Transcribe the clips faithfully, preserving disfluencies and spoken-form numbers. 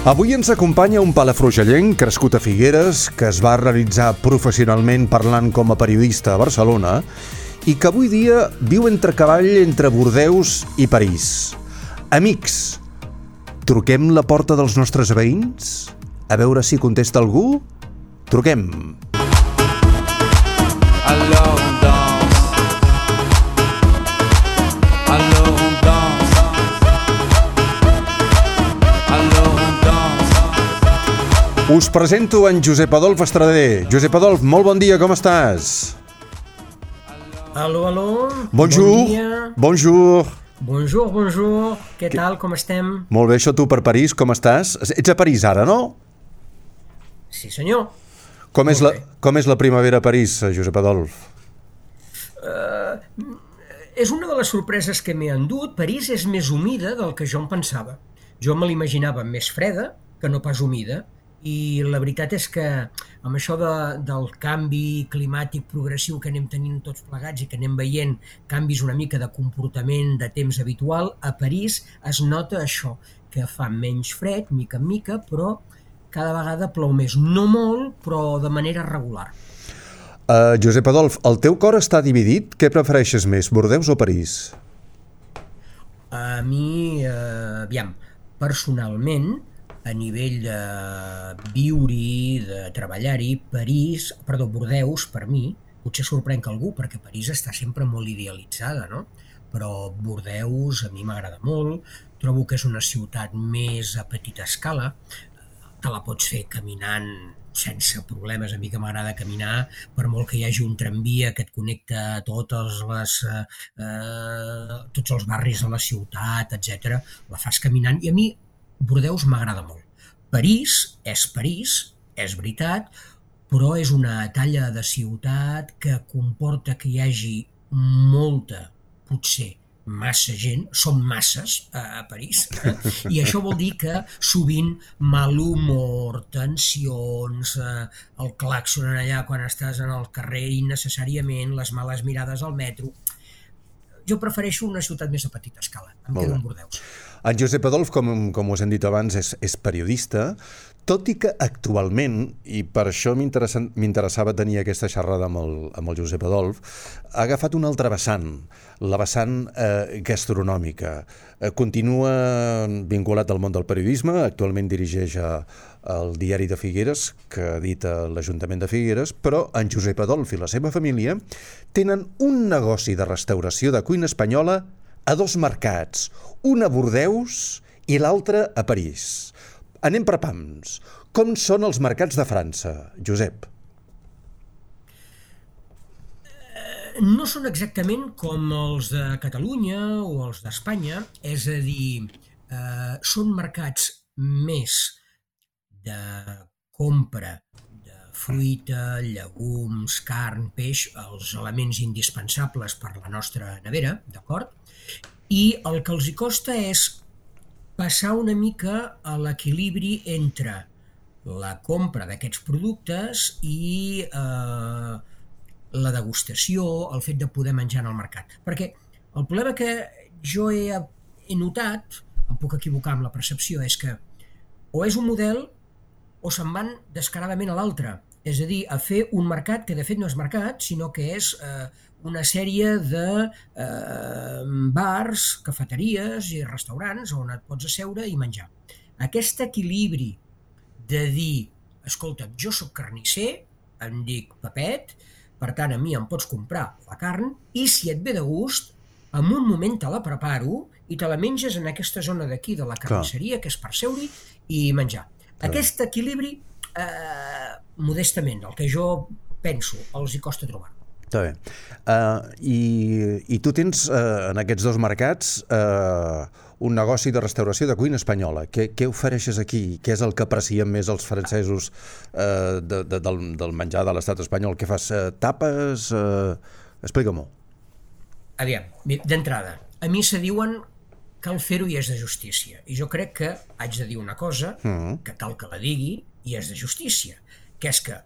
Avui ens acompanya un palafrugellenc crescut a Figueres, que es va realitzar professionalment parlant com a periodista a Barcelona i que avui dia viu entre cavall entre Bordeus i París. Amics, truquem la porta dels nostres veïns? A veure si contesta algú? Truquem. Alors on danse, alors on danse, alors on danse. Us presento en Josep Adolf Estrader. Josep Adolf, molt bon dia, com estàs? Aló, aló. Bonjour. Bon dia. Bonjour. Bonjour, bonjour. Què tal, com estem? Molt bé, això tu per París, com estàs? Ets a París ara, no? Sí, senyor. Com és, la, Molt bé. com és la primavera a París, Josep Adolf? Uh, és una de les sorpreses que m'he endut. París és més humida del que jo em pensava. Jo me l'imaginava més freda que no pas humida, i la veritat és que amb això de, del canvi climàtic progressiu que anem tenint tots plegats i que anem veient canvis una mica de comportament de temps habitual, a París es nota això, que fa menys fred, mica en mica, però cada vegada plou més. No molt, però de manera regular. Uh, Josep Adolf, el teu cor està dividit? Què prefereixes més, Bordeus o París? A mi, eh, aviam, personalment, a nivell de viure-hi, de treballar-hi, París, perdó, Bordeus, per mi, potser sorprenc algú, perquè París està sempre molt idealitzada, no? Però Bordeus a mi m'agrada molt, trobo que és una ciutat més a petita escala, te la pots fer caminant sense problemes. A mi que m'agrada caminar, per molt que hi hagi un tramvia que et connecta a totes les, eh, tots els barris de la ciutat, etcètera, la fas caminant, i a mi Bordeus m'agrada molt. París és París, és veritat, però és una talla de ciutat que comporta que hi hagi molta, potser massa gent, són masses a París, eh? I això vol dir que sovint mal humor, tensions, eh, el clàxon allà quan estàs en el carrer innecessàriament, les males mirades al metro. Jo prefereixo una ciutat més a petita escala, em quedo en Bordeus. En Josep Adolf, com, com us hem dit abans, és, és periodista, tot i que actualment, i per això m'interessava tenir aquesta xerrada amb el, amb el Josep Adolf, ha agafat una altra vessant, la vessant eh, gastronòmica. Eh, continua vinculat al món del periodisme, actualment dirigeix a, el diari de Figueres, que edita l'Ajuntament de Figueres, però en Josep Adolf i la seva família tenen un negoci de restauració de cuina espanyola a dos mercats, un a Bordeus i l'altre a París. Anem per pams. Com són els mercats de França, Josep? No són exactament com els de Catalunya o els d'Espanya, és a dir, eh, són mercats més de compra de fruita, llegums, carn, peix, els elements indispensables per la nostra nevera, d'acord? I el que els hi costa és passar una mica a l'equilibri entre la compra d'aquests productes i eh, la degustació, el fet de poder menjar en el mercat. Perquè el problema que jo he, he notat, em puc equivocar amb la percepció, és que o és un model o se'n van descaradament a l'altre. És a dir, a fer un mercat que de fet no és mercat, sinó que és eh, una sèrie de eh, bars, cafeteries i restaurants on et pots asseure i menjar. Aquest equilibri de dir, escolta, jo sóc carnisser, em dic Pepet, per tant a mi em pots comprar la carn i si et ve de gust, en un moment te la preparo i te la menges en aquesta zona d'aquí de la carnisseria, que és per seure i menjar. Aquest equilibri, eh, modestament, el que jo penso, els hi costa trobar. Està bé. Uh, i, I tu tens uh, en aquests dos mercats uh, un negoci de restauració de cuina espanyola. Què, què ofereixes aquí? Què és el que aprecien més els francesos uh, de, de, del, del menjar de l'estat espanyol? Què fas? Uh, tapes? Uh, Explica-m'ho. Aviam, d'entrada, a mi se diuen cal fer-ho i és de justícia. I jo crec que haig de dir una cosa, mm. que cal que la digui, i és de justícia, que és que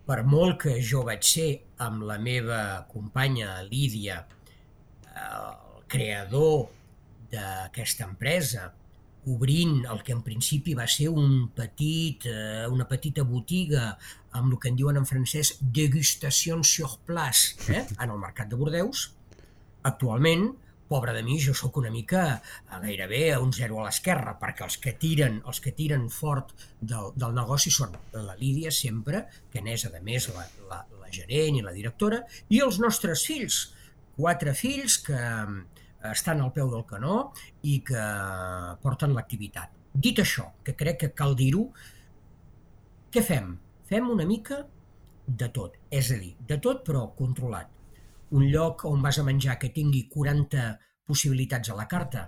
per molt que jo vaig ser amb la meva companya Lídia, el creador d'aquesta empresa, obrint el que en principi va ser un petit, eh, una petita botiga amb el que en diuen en francès dégustation sur place, eh? En el mercat de Bordeus. Actualment, pobre de mi, jo sóc una mica a gairebé a un zero a l'esquerra, perquè els que tiren, els que tiren fort del, del negoci són la Lídia sempre, que n'és a més la, la, la gerent i la directora, i els nostres fills, quatre fills que estan al peu del canó i que porten l'activitat. Dit això, que crec que cal dir-ho, què fem? Fem una mica de tot, és a dir, de tot però controlat. Un lloc on vas a menjar que tingui quaranta possibilitats a la carta,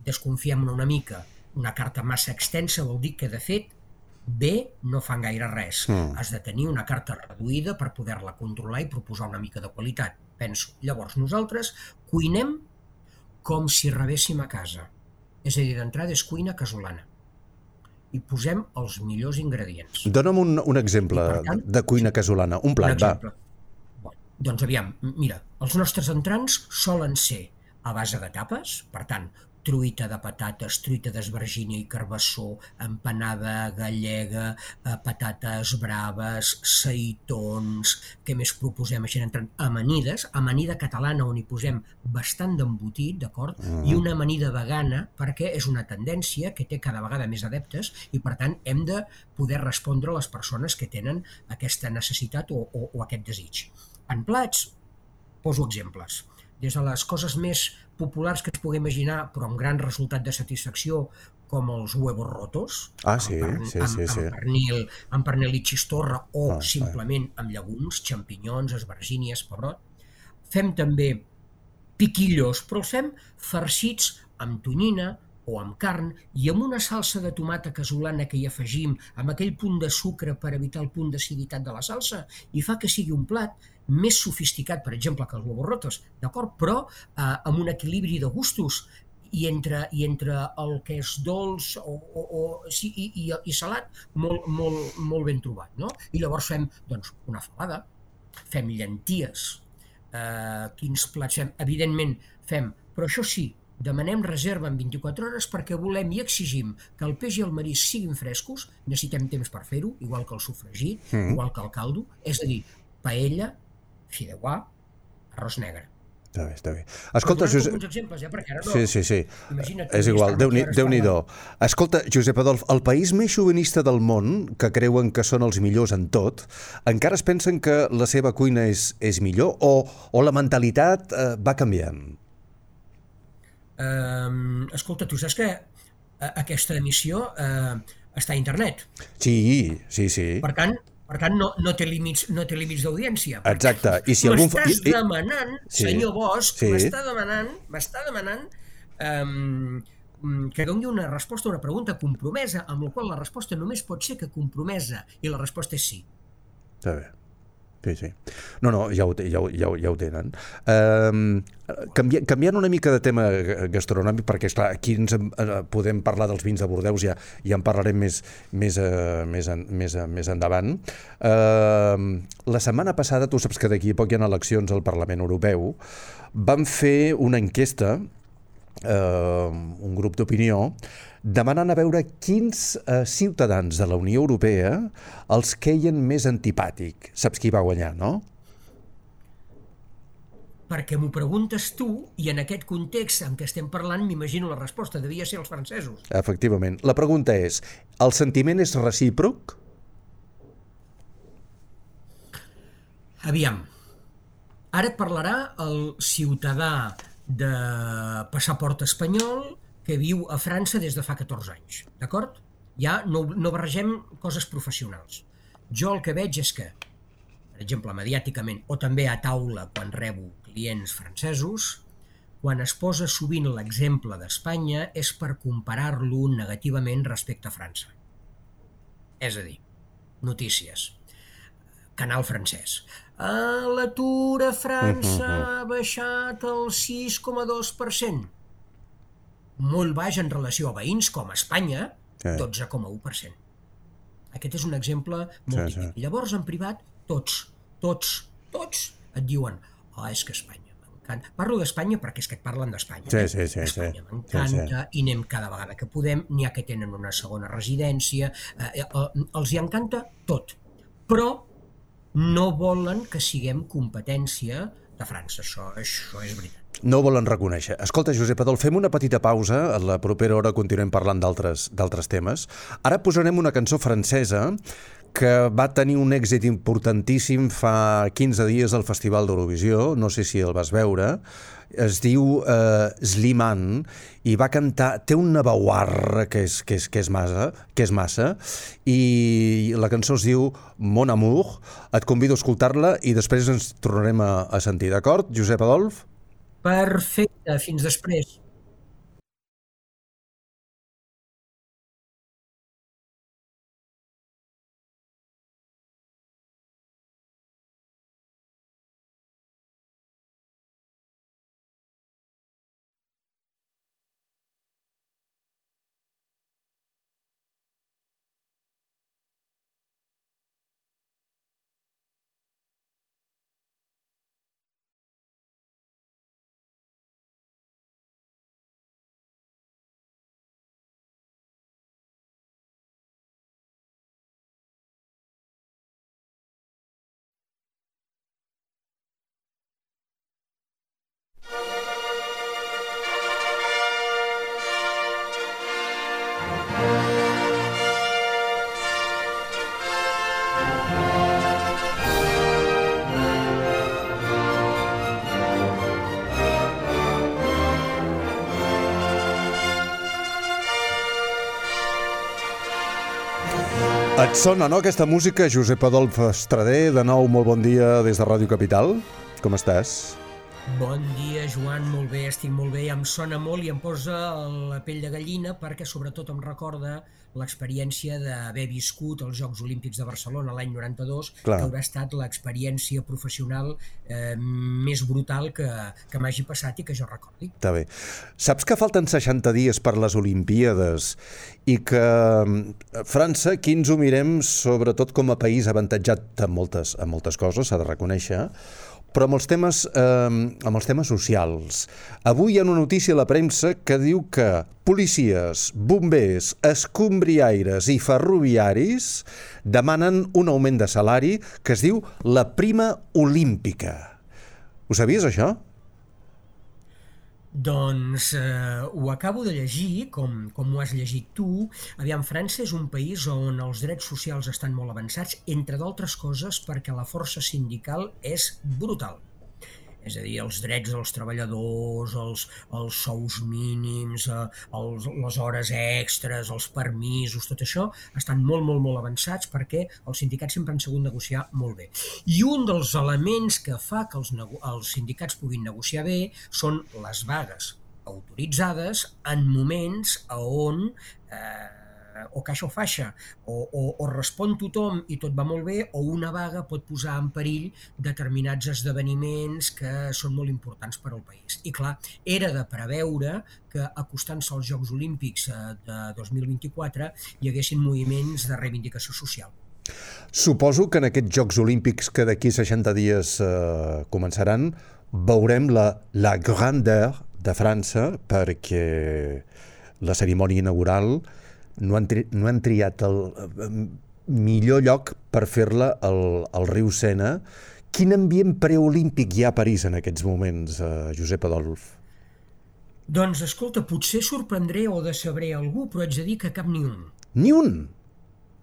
desconfiem una mica. Una carta massa extensa vol dir que, de fet, bé no fan gaire res. Mm. Has de tenir una carta reduïda per poder-la controlar i proposar una mica de qualitat, penso. Llavors nosaltres cuinem com si rebéssim a casa. És a dir, d'entrada és cuina casolana. I posem els millors ingredients. Dóna'm un, un exemple tant, de cuina casolana. Un plat, va. Bon, doncs aviam, mira, els nostres entrants solen ser a base de tapes, per tant, truita de patates, truita d'esvergínia i carbassó, empanada gallega, patates braves, seitons, què més proposem així entrant? Amanides, amanida catalana on hi posem bastant d'embotit, d'acord? Mm. I una amanida vegana perquè és una tendència que té cada vegada més adeptes i per tant hem de poder respondre a les persones que tenen aquesta necessitat o, o, o aquest desig. En plats, poso exemples. Des de les coses més populars que es pugui imaginar, però amb gran resultat de satisfacció, com els huevos rotos, ah, sí, amb, sí, amb, sí, sí. amb, pernil, amb pernil i xistorra, o ah, simplement ah. amb llegums, xampinyons, esvergínies, pebrot. Fem també piquillos, però els fem farcits amb tonyina o amb carn i amb una salsa de tomata casolana que hi afegim, amb aquell punt de sucre per evitar el punt d'aciditat de la salsa, i fa que sigui un plat més sofisticat, per exemple, que els huevos rotos, d'acord? Però eh, amb un equilibri de gustos i entre, i entre el que és dolç o, o, o, sí, i, i, i salat molt, molt, molt ben trobat, no? I llavors fem doncs, una falada, fem llenties, eh, quins plats fem? Evidentment fem, però això sí, demanem reserva en vint-i-quatre hores perquè volem i exigim que el peix i el marisc siguin frescos, necessitem temps per fer-ho, igual que el sofregit, mm. igual que el caldo, és a dir, paella, fideuà, arròs negre. Està bé, està bé. Escolta, Josep... alguns exemples, eh? Perquè ara no... Sí, sí, sí. Imagina't és igual, Déu-n'hi-do. Escolta, Josep Adolf, el país més xovinista del món, que creuen que són els millors en tot, encara es pensen que la seva cuina és, és millor o, o la mentalitat eh, va canviant? Uh, escolta, tu saps que aquesta emissió uh, està a internet. Sí, sí, sí. Per tant, Per tant, no, no té límits, no té límits d'audiència. Exacte. I si algun... M'estàs demanant, sí. senyor Bosch, sí. m'està demanant, m'està demanant um, que doni una resposta a una pregunta compromesa, amb la qual la resposta només pot ser que compromesa, i la resposta és sí. Està bé. Sí, sí. No, no, ja ho, ja ho, ja ho, ja ho tenen. Um, canvi, canviant una mica de tema gastronòmic, perquè esclar, aquí ens uh, podem parlar dels vins de Bordeus, ja, ja en parlarem més, més, uh, més, en, més, uh, més endavant. Uh, la setmana passada, tu saps que d'aquí a poc hi ha eleccions al Parlament Europeu, vam fer una enquesta, uh, un grup d'opinió, demanant a veure quins eh, ciutadans de la Unió Europea els queien més antipàtic. Saps qui va guanyar, no? Perquè m'ho preguntes tu, i en aquest context en què estem parlant m'imagino la resposta, devia ser els francesos. Efectivament. La pregunta és, el sentiment és recíproc? Aviam, ara et parlarà el ciutadà de passaport espanyol que viu a França des de fa catorze anys, d'acord? Ja no, no barregem coses professionals. Jo el que veig és que, per exemple, mediàticament, o també a taula quan rebo clients francesos, quan es posa sovint l'exemple d'Espanya és per comparar-lo negativament respecte a França. És a dir, notícies, canal francès. L'atur a França ha baixat el sis coma dos per cent. Molt baix en relació a veïns com a Espanya, dotze coma u per cent. Aquest és un exemple molt sí, típic. Sí. Llavors, en privat, tots, tots, tots et diuen oh, és que Espanya m'encanta. Parlo d'Espanya perquè és que et parlen d'Espanya. Sí, eh? sí, sí, Espanya sí. m'encanta Sí, i anem cada vegada que podem. N'hi ha que tenen una segona residència. Eh, eh, els hi encanta tot. Però no volen que siguem competència de França. Això, això és veritat. no ho volen reconèixer. Escolta, Josep Adolf, fem una petita pausa. A la propera hora continuem parlant d'altres d'altres temes. Ara posarem una cançó francesa que va tenir un èxit importantíssim fa quinze dies al Festival d'Eurovisió, no sé si el vas veure, es diu eh, Slimane, i va cantar, té una veuarra que és, que és, que és, massa, que és massa, i la cançó es diu Mon Amour. Et convido a escoltar-la i després ens tornarem a, a sentir, d'acord, Josep Adolf? Perfecte, fins després. Et sona, no, aquesta música? Josep Adolf Estrader, de nou, molt bon dia des de Ràdio Capital. Com estàs? Bon dia, Joan, molt bé, estic molt bé, em sona molt i em posa la pell de gallina perquè sobretot em recorda l'experiència d'haver viscut els Jocs Olímpics de Barcelona l'any noranta-dos, Clar. que haurà estat l'experiència professional eh, més brutal que, que m'hagi passat i que jo recordi. Està bé. Saps que falten seixanta dies per les Olimpíades i que eh, França, aquí ens ho mirem sobretot com a país avantatjat en moltes, en moltes coses, s'ha de reconèixer, però amb els temes, eh, amb els temes socials. Avui hi ha una notícia a la premsa que diu que policies, bombers, escombriaires i ferroviaris demanen un augment de salari que es diu la prima olímpica. Ho sabies, això? Doncs eh, ho acabo de llegir, com, com ho has llegit tu. Aviam, França és un país on els drets socials estan molt avançats, entre d'altres coses perquè la força sindical és brutal. És a dir, els drets dels treballadors, els, els sous mínims, eh, els, les hores extres, els permisos, tot això estan molt, molt, molt avançats perquè els sindicats sempre han sabut negociar molt bé. I un dels elements que fa que els, els sindicats puguin negociar bé són les vagues autoritzades en moments on eh, o caixa o faixa, o, o, o respon tothom i tot va molt bé, o una vaga pot posar en perill determinats esdeveniments que són molt importants per al país. I clar, era de preveure que acostant-se als Jocs Olímpics de dos mil vint-i-quatre hi haguessin moviments de reivindicació social. Suposo que en aquests Jocs Olímpics que d'aquí seixanta dies eh, començaran, veurem la, la grandeur de França, perquè la cerimònia inaugural no han, tri no han triat el eh, millor lloc per fer-la al, al riu Sena. Quin ambient preolímpic hi ha a París en aquests moments, eh, Josep Adolf? Doncs escolta, potser sorprendré o decebré algú, però haig de dir que cap ni un. Ni un?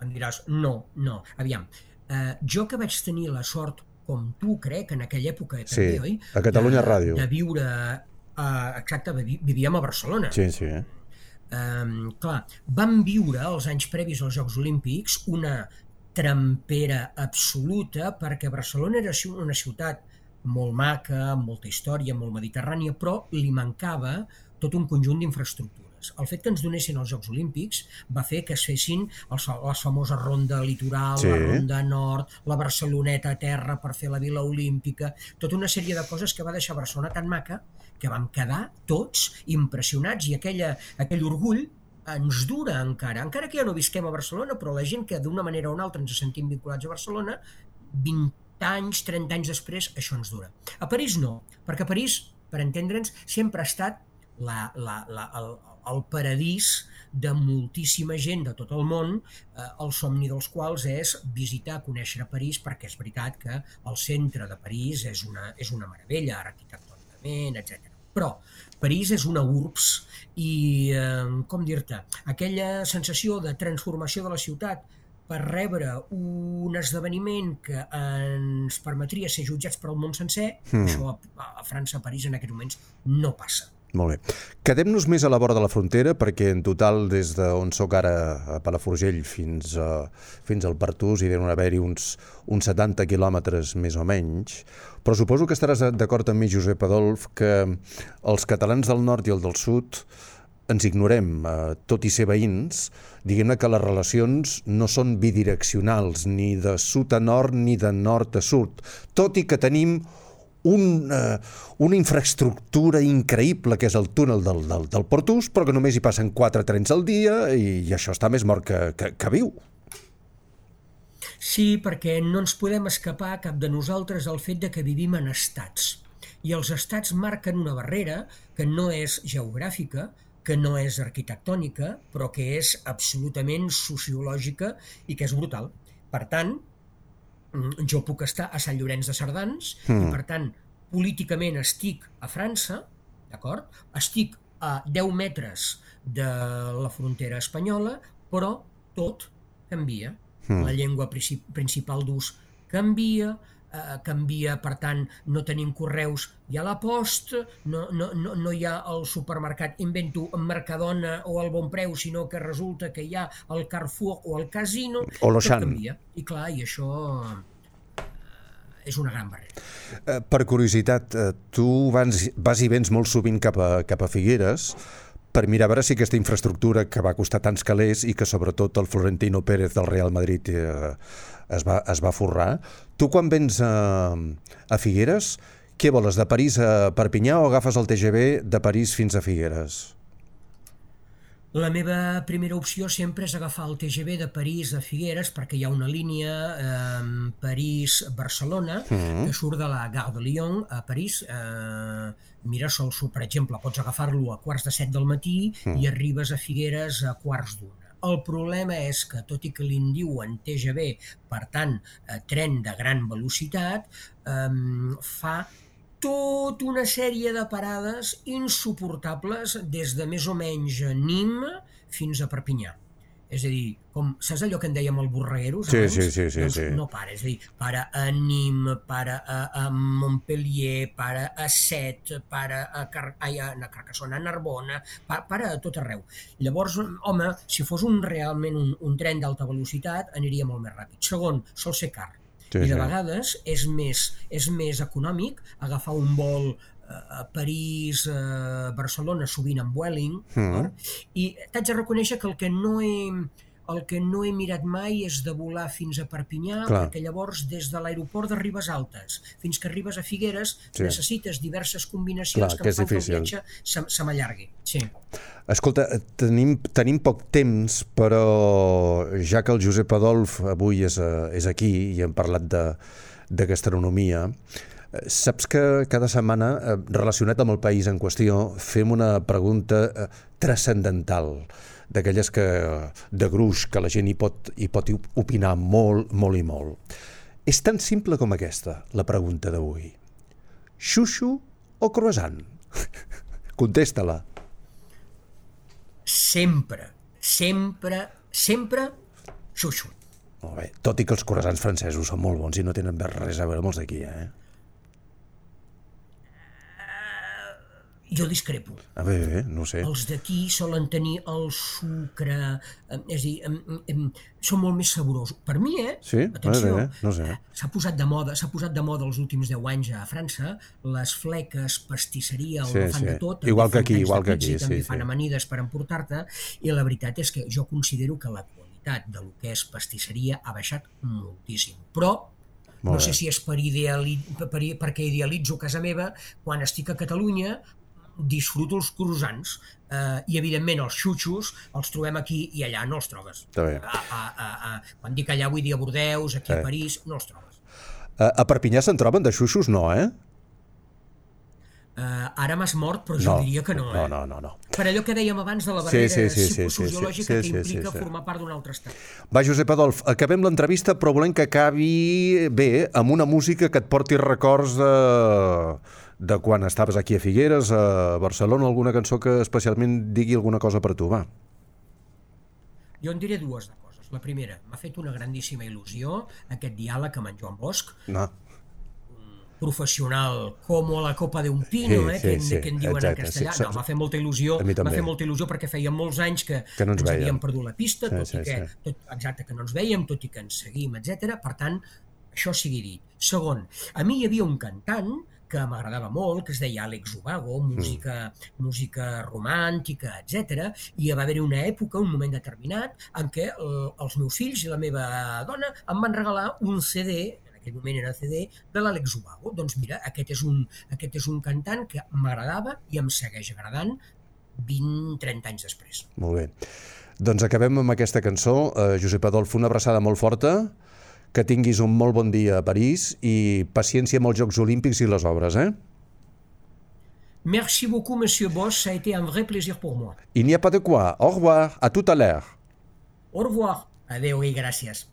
Em diràs, no, no. Aviam, eh, jo que vaig tenir la sort, com tu crec, en aquella època també, sí, oi? a Catalunya de, Ràdio. De viure... Eh, exacte, vivíem a Barcelona. Sí, sí. Um, clar, vam viure els anys previs als Jocs Olímpics una trempera absoluta perquè Barcelona era una ciutat molt maca, amb molta història, molt mediterrània, però li mancava tot un conjunt d'infraestructures. El fet que ens donessin els Jocs Olímpics va fer que es fessin els, la famosa ronda litoral, sí. La ronda nord, la Barceloneta a terra per fer la Vila Olímpica, tota una sèrie de coses que va deixar Barcelona tan maca que vam quedar tots impressionats i aquella, aquell orgull ens dura encara. Encara que ja no visquem a Barcelona, però la gent que d'una manera o una altra ens sentim vinculats a Barcelona, vint anys, trenta anys després, això ens dura. A París no, perquè a París per entendre'ns, sempre ha estat la, la, la, el, el paradís de moltíssima gent de tot el món, eh, el somni dels quals és visitar, conèixer París, perquè és veritat que el centre de París és una, és una meravella arquitectònicament, etcètera. Però París és una urbs i, eh, com dir-te, aquella sensació de transformació de la ciutat per rebre un esdeveniment que ens permetria ser jutjats per al món sencer, mm. això a, a França, a París, en aquests moments no passa. Molt bé. Quedem-nos més a la vora de la frontera, perquè en total, des d'on soc ara a Palafrugell fins, a, fins al Pertús, hi deuen haver-hi uns, uns setanta quilòmetres més o menys, però suposo que estaràs d'acord amb mi, Josep Adolf, que els catalans del nord i el del sud ens ignorem, eh, tot i ser veïns, diguem-ne que les relacions no són bidireccionals, ni de sud a nord ni de nord a sud, tot i que tenim un, eh, una infraestructura increïble que és el túnel del, del, del Pertús, però que només hi passen quatre trens al dia i, i això està més mort que, que, que viu. Sí, perquè no ens podem escapar cap de nosaltres al fet de que vivim en estats. I els estats marquen una barrera que no és geogràfica, que no és arquitectònica, però que és absolutament sociològica i que és brutal. Per tant, jo puc estar a Sant Llorenç de Cerdans mm. i, per tant, políticament estic a França, d'acord? Estic a deu metres de la frontera espanyola, però tot canvia. Mm. La llengua principal d'ús canvia, eh, canvia, per tant, no tenim correus, hi ha la posta, no, no, no, no hi ha el supermercat, invento Mercadona o el Bonpreu, sinó que resulta que hi ha el Carrefour o el Casino, o tot canvia. I clar, i això eh, és una gran barrera. Eh, per curiositat, eh, tu vas, vas i vens molt sovint cap a, cap a Figueres per mirar a veure si aquesta infraestructura que va costar tants calés i que sobretot el Florentino Pérez del Real Madrid eh, es, va, es va forrar. Tu quan vens a, a Figueres, què voles, de París a Perpinyà o agafes el T G V de París fins a Figueres? La meva primera opció sempre és agafar el T G V de París a Figueres perquè hi ha una línia eh, París-Barcelona mm. que surt de la Gare de Lyon a París. Eh, mira, sol, per exemple, pots agafar-lo a quarts de set del matí mm. i arribes a Figueres a quarts d'una. El problema és que, tot i que li en diuen T G V, per tant, eh, tren de gran velocitat, eh, fa tota una sèrie de parades insuportables des de més o menys Nîmes fins a Perpinyà. És a dir, com, saps allò que en dèiem el Borregueros? Sí, sí, sí, sí, doncs sí. No para, és a dir, para a Nîmes, para a, a Montpellier, para a Set, para a, Car ai, a Carcassona, a Narbona, para, para a tot arreu. Llavors, home, si fos un, realment un, un tren d'alta velocitat, aniria molt més ràpid. Segon, sol ser car. Sí, I de sí. vegades és més, és més econòmic agafar un vol a París, a Barcelona, sovint amb Vueling, mm. i t'haig de reconèixer que el que no he, el que no he mirat mai és de volar fins a Perpinyà, Clar. perquè llavors des de l'aeroport de Ribes Altes fins que arribes a Figueres sí. necessites diverses combinacions Clar, que, que em fan que el viatge se, se m'allargui. Sí. Escolta, tenim, tenim poc temps, però ja que el Josep Adolf avui és, és aquí i hem parlat de, de gastronomia, saps que cada setmana, relacionat amb el país en qüestió, fem una pregunta transcendental, d'aquelles que de gruix, que la gent hi pot, hi pot opinar molt, molt i molt. És tan simple com aquesta, la pregunta d'avui. Xuxu o croissant? Contesta-la. Sempre, sempre, sempre xuxu. Molt bé, tot i que els croissants francesos són molt bons i no tenen res a veure amb els d'aquí, eh? Jo discrepo. A bé, bé, no sé. Els d'aquí solen tenir el sucre, eh, és a dir, eh, eh, són molt més saborosos. Per mi, eh? Sí? Atenció, bé, bé, no sé. s'ha posat de moda, s'ha posat de moda els últims deu anys a França, les fleques, pastisseria, sí, el fan sí. de tot. Igual que aquí, igual que aquí, sí, també sí, fan sí. amanides per emportar-te, i la veritat és que jo considero que la qualitat de lo que és pastisseria ha baixat moltíssim. Però no sé si és per ideali... per, perquè idealitzo casa meva, quan estic a Catalunya disfruto els croissants eh, i evidentment els xuxos els trobem aquí i allà no els trobes. A, a, a, a, quan dic allà vull dir a Bordeus, aquí a París, no els trobes. A, a Perpinyà se'n troben de xuxos? No, eh? Uh, ara m'has mort, però jo No, diria que no, no, eh? no, no, no. Per allò que dèiem abans de la Sí, barrera sí, sí, sí, psicosociològica sí, sí, sí, que implica sí, sí. formar part d'un altre estat. Va, Josep Adolf, acabem l'entrevista, però volem que acabi bé, amb una música que et porti records de, de quan estaves aquí a Figueres, a Barcelona, alguna cançó que especialment digui alguna cosa per tu, va. Jo en diré dues de coses. La primera, m'ha fet una grandíssima il·lusió aquest diàleg amb en Joan Bosch, No. professional com a la copa de un pino, Sí, eh, sí, que, en, sí, que en diuen exacte, en castellà. sí, No, m'ha fet molta il·lusió, a mi m'ha també. fet molta il·lusió perquè feia molts anys que, Que no ens ens vèiem. havíem perdut la pista, Sí, tot sí, i que, sí. tot, exacte, que no ens vèiem, tot i que ens seguim, etcètera. Per tant, això sigui dit. Segon, a mi hi havia un cantant que m'agradava molt, que es deia Àlex Ubago, música, mm. música romàntica, etcètera. I va haver-hi una època, un moment determinat, en què el, els meus fills i la meva dona em van regalar un C D, en aquell moment era C D, de l'Àlex Ubago. Doncs mira, aquest és un, aquest és un cantant que m'agradava i em segueix agradant vint trenta anys després. Molt bé. Doncs acabem amb aquesta cançó. Uh, Josep Adolf, una abraçada molt forta, que tinguis un molt bon dia a París i paciència amb els Jocs Olímpics i les obres, eh? Merci beaucoup, Monsieur Bosch. Ça a été un vrai plaisir pour moi. Il n'y a pas de quoi. Au revoir. À tout à l'heure. Au revoir. Adéu i gràcies.